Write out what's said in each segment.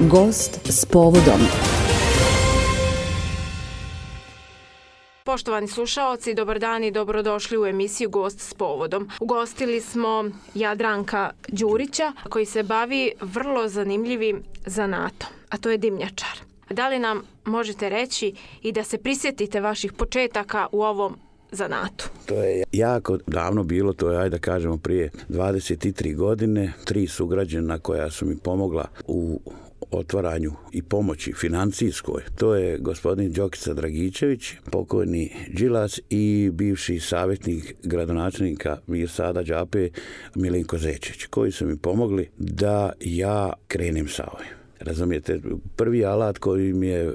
Gost s povodom. Poštovani slušaoci, dobar dan i dobrodošli u emisiju Gost s povodom. Ugostili smo Jadranka Đurića koji se bavi vrlo zanimljivim zanatom, a to je dimnjačar. Da li nam možete reći i da se prisjetite vaših početaka u ovom zanatu? To je jako davno bilo, to je, ajde da kažemo, prije 23 godine. 3 sugrađana koja su mi pomogla u otvaranju i pomoći financijskoj. To je gospodin Đokica Dragičević, pokojni Đilas i bivši savjetnik gradonačelnika Mirsada Đape Milenko Zečić, koji su mi pomogli da ja krenem sa ovim. Razumijete, prvi alat koji mi je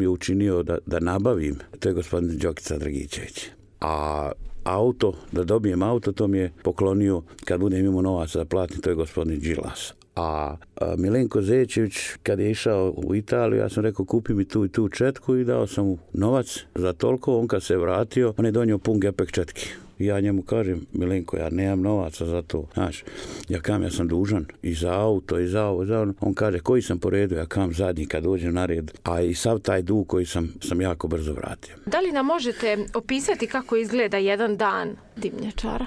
učinio da nabavim, to je gospodin Đokica Dragičević. A auto, da dobijem auto, to mi je poklonio, kad budem imao novaca da platim, to je gospodin Đilas. A Milenko Zečić, kad je išao u Italiju, ja sam rekao kupi mi tu i tu četku i dao sam mu novac za toliko. On kad se vratio, on je donio pun gepek četki. I ja njemu kažem, Milenko, ja nemam novaca za to. Znaš, ja sam dužan i za auto i za ovo, za ono. On kaže, koji sam po redu, ja kam zadnji kad dođem na red. A i sav taj dug koji sam jako brzo vratio. Da li nam možete opisati kako izgleda jedan dan dimnjačara?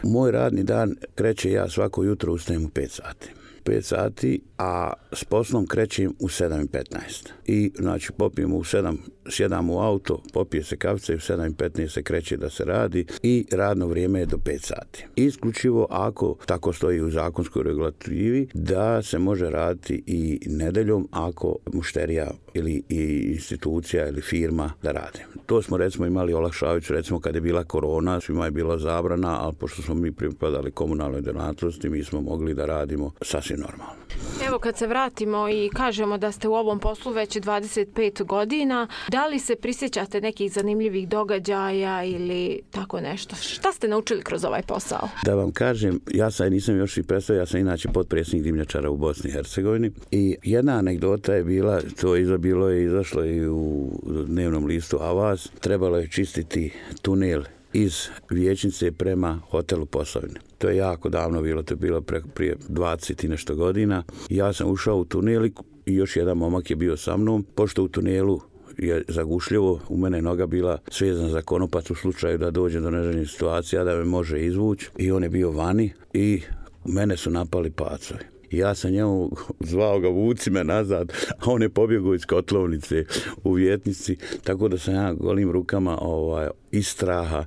Moj radni dan kreće, ja svako jutro ustajem u 5 sati. 5 sati, a s poslom krećem u 7:15. I znači popijemo u 7, sjedam u auto, popije se kafica i u 7:15 se kreće da se radi i radno vrijeme je do 5 sati. Isključivo ako tako stoji u zakonskoj regulativi da se može raditi i nedeljom ako mušterija ili i institucija ili firma da rade. To smo recimo imali olakšavajuću, recimo kad je bila korona, svima je bila zabrana, ali pošto smo mi pripadali komunalnoj djelatnosti, mi smo mogli da radimo sasvim normalno. Evo kad se vratimo i kažemo da ste u ovom poslu već 25 godina, da li se prisjećate nekih zanimljivih događaja ili tako nešto? Šta ste naučili kroz ovaj posao? Da vam kažem, ja sam nisam još i predstavio, ja sam inače potpredsjednik dimnjačara u Bosni i Hercegovini i jedna anegdota je bila, to je izašlo i u dnevnom listu Avaz, trebalo je čistiti tunel iz Vijećnice prema hotelu Posavine. To je jako davno bilo, to je bilo prije 20 i nešto godina. Ja sam ušao u tunel i još jedan momak je bio sa mnom, pošto u tunelu je zagušljivo, u mene je noga bila svezana za konopac u slučaju da dođe do neželjenih situacija, da me može izvući i on je bio vani i mene su napali pacovi. Ja sam njemu zvao ga, vuci me nazad, a on je pobjegao iz kotlovnice u Vjetnici, tako da sam ja golim rukama iz straha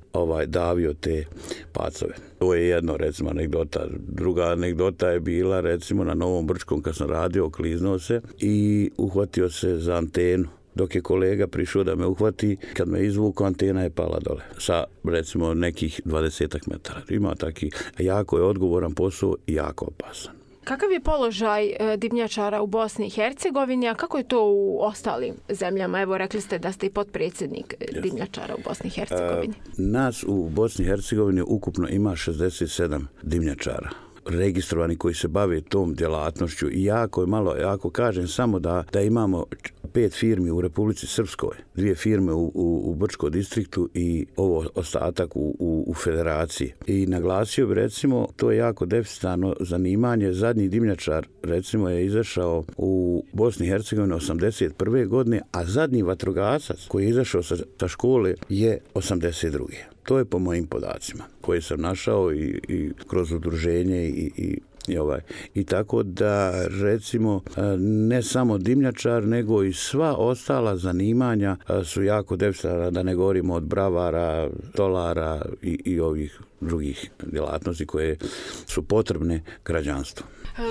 davio te pacove. To je jedno, recimo, anegdota. Druga anegdota je bila, recimo, na Novom Brčkom kad sam radio, okliznuo se i uhvatio se za antenu. Dok je kolega prišao da me uhvati, kad me izvuku, antena je pala dole sa, recimo, nekih 20 metara. Ima taki, jako je odgovoran posao i jako opasan. Kakav je položaj dimnjačara u Bosni i Hercegovini, a kako je to u ostalim zemljama? Evo, rekli ste da ste i potpredsjednik dimnjačara u Bosni i Hercegovini. Nas u Bosni i Hercegovini ukupno ima 67 dimnjačara registrovani koji se bave tom djelatnošću i jako je malo, ako kažem samo da imamo 5 firmi u Republici Srpskoj, 2 firme u Brčkom distriktu i ovo ostatak u federaciji. I naglasio bi, recimo, to je jako deficitarno zanimanje. Zadnji dimnjačar, recimo, je izašao u Bosni i Hercegovini 81. godine, a zadnji vatrogasac koji je izašao sa škole je 82. To je po mojim podacima koje sam našao i kroz udruženje i tako da, recimo, ne samo dimnjačar, nego i sva ostala zanimanja su jako deficitarna, da ne govorimo od bravara, stolara i ovih drugih djelatnosti koje su potrebne građanstvu.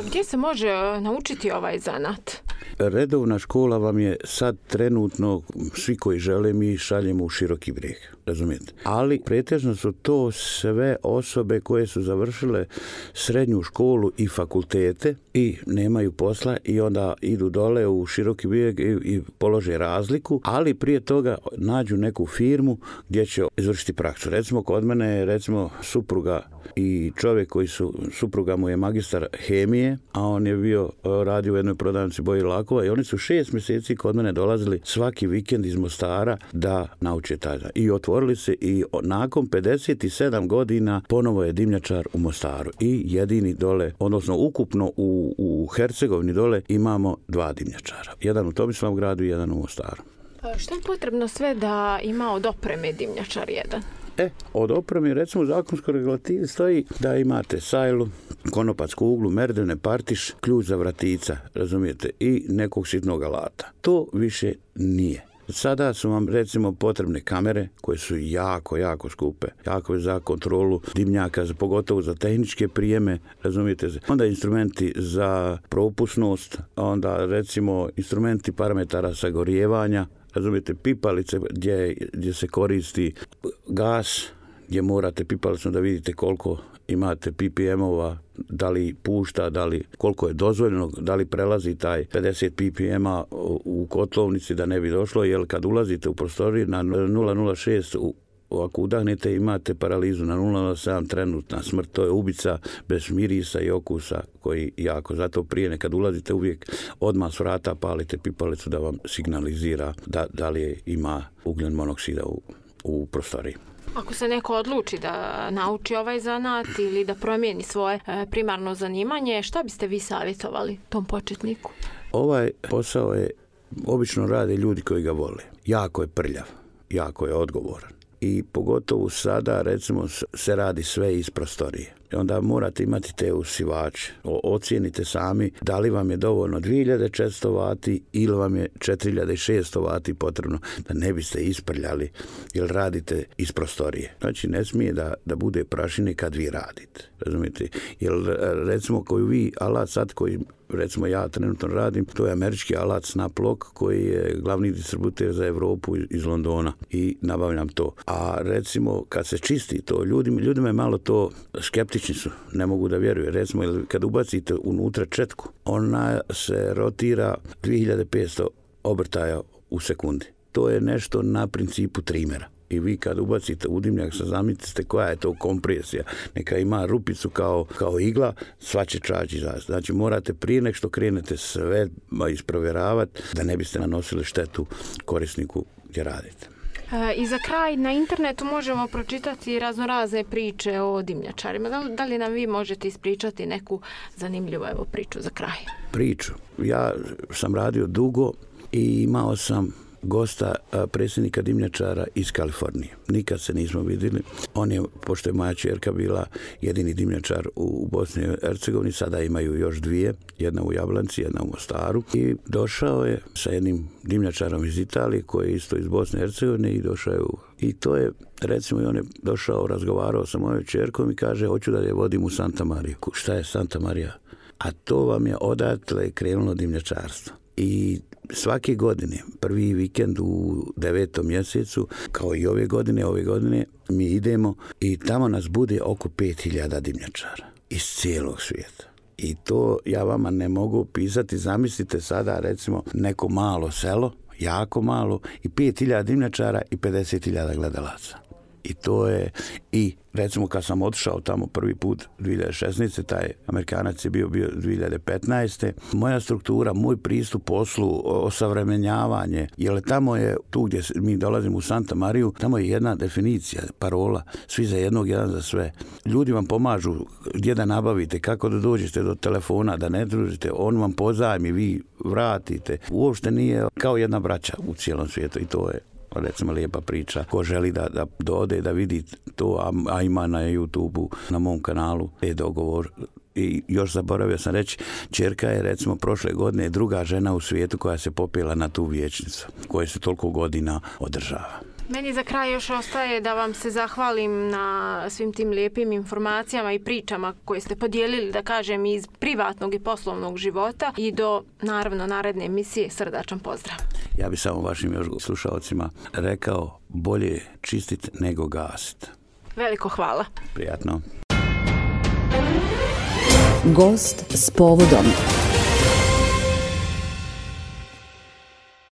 Gdje se može naučiti ovaj zanat? Redovna škola vam je sad trenutno, svi koji žele, mi šaljemo u Široki Brijeg, razumijete? Ali pretežno su to sve osobe koje su završile srednju školu i fakultete i nemaju posla i onda idu dole u Široki Brijeg i polože razliku, ali prije toga nađu neku firmu gdje će izvršiti praksu. Recimo, kod mene je, recimo, supruga i čovjek supruga mu je magistar hemije, a on je radio u jednoj prodavnici boje i lakova i oni su 6 mjeseci kod mene dolazili svaki vikend iz Mostara da nauče taj. I dogovorili se i nakon 57 godina ponovo je dimnjačar u Mostaru i jedini dole, odnosno ukupno u Hercegovini dole imamo 2 dimnjačara. Jedan u Tomislavgradu i jedan u Mostaru. Što je potrebno sve da ima od opreme dimnjačar jedan? Od opreme, recimo u zakonskoj regulativi stoji da imate sajlu, konopatsku uglu, merdevne, partiš, ključ za vratica, razumijete, i nekog sitnog alata. To više nije. Sada su vam recimo potrebne kamere koje su jako skupe, jako za kontrolu dimnjaka, pogotovo za tehničke prijeme, razumijete se. Onda instrumenti za propusnost, onda recimo instrumenti parametara sagorijevanja, razumijete, pipalice gdje se koristi gas, gdje morate pipalicom da vidite koliko imate ppm-ova, da li pušta, koliko je dozvoljeno, da li prelazi taj 50 ppm-a u kotlovnici da ne bi došlo, jer kad ulazite u prostoriju na 0,06 ako udahnete imate paralizu, na 0,07 trenutna smrt, to je ubica bez mirisa i okusa koji jako, zato prije nekad ulazite uvijek odmah s vrata palite pipalicu da vam signalizira da li ima ugljen monoksida u prostoriji. Ako se neko odluči da nauči ovaj zanat ili da promijeni svoje primarno zanimanje, šta biste vi savjetovali tom početniku? Ovaj posao obično rade ljudi koji ga vole. Jako je prljav, jako je odgovoran. I pogotovo sada, recimo, se radi sve iz prostorije. I onda morate imati te usivače. Ocijenite sami da li vam je dovoljno 2400 vati ili vam je 4600 vati potrebno da ne biste isprljali jer radite iz prostorije. Znači, ne smije da bude prašine kad vi radite. Razumijete? Jer, recimo, koju vi alat sad koji recimo ja trenutno radim, to je američki alat Snaplock koji je glavni distributer za Europu iz Londona i nabavljam to. A recimo kad se čisti to, ljudima je malo to skeptični su, ne mogu da vjeruju. Recimo kad ubacite unutra četku, ona se rotira 2500 obrtaja u sekundi. To je nešto na principu trimera. I vi kad ubacite u dimnjak, zamislite koja je to kompresija. Neka ima rupicu kao igla, sva će čaći izaći. Znači morate prije nek što krenete sve isprovjeravati da ne biste nanosili štetu korisniku gdje radite. I za kraj, na internetu možemo pročitati raznorazne priče o dimnjačarima. Da li nam vi možete ispričati neku zanimljivu priču za kraj? Priču. Ja sam radio dugo i imao sam gosta predsjednika dimnjačara iz Kalifornije. Nikad se nismo vidjeli. On je, pošto je moja ćerka bila jedini dimnjačar u Bosni i Hercegovini, sada imaju još 2, jedna u Jablanci, jedna u Mostaru. I došao je sa jednim dimnjačarom iz Italije koji je isto iz Bosne i Hercegovine i došao je i to je, recimo, i on je došao, razgovarao sa mojom ćerkom i kaže, hoću da je vodim u Santa Mariju. Šta je Santa Marija? A to vam je odatle krenulo dimnjačarstvo. I svake godine, prvi vikend u 9. mjesecu, kao i ove godine mi idemo i tamo nas bude oko 5000 dimnjačara iz cijelog svijeta. I to ja vama ne mogu opisati. Zamislite sada recimo neko malo selo, jako malo, i 5000 dimnjačara i 50.000 gledalaca. I to je, i recimo kad sam otišao tamo prvi put 2016. taj Amerikanac je bio 2015. Moja struktura, moj pristup poslu, osavremenjavanje, jer tamo je, tu gdje mi dolazimo u Santa Mariju, tamo je jedna definicija, parola, svi za jednog, jedan za sve. Ljudi vam pomažu gdje da nabavite, kako da dođete do telefona, da ne družite, on vam pozajmi, vi vratite. Uopšte nije kao jedna braća u cijelom svijetu i to je recimo lijepa priča. Ko želi da dode, da vidi to, a ima na YouTube-u, na mom kanalu, dogovor. I još zaboravio sam reći, ćerka je recimo prošle godine druga žena u svijetu koja se popela na tu vijećnicu, koja se toliko godina održava. Meni za kraj još ostaje da vam se zahvalim na svim tim lijepim informacijama i pričama koje ste podijelili, da kažem, iz privatnog i poslovnog života i do, naravno, naredne emisije. Srdačan pozdrav. Ja bih samo vašim još slušalcima rekao, bolje čistit nego gasit. Veliko hvala. Prijatno. Gost s povodom.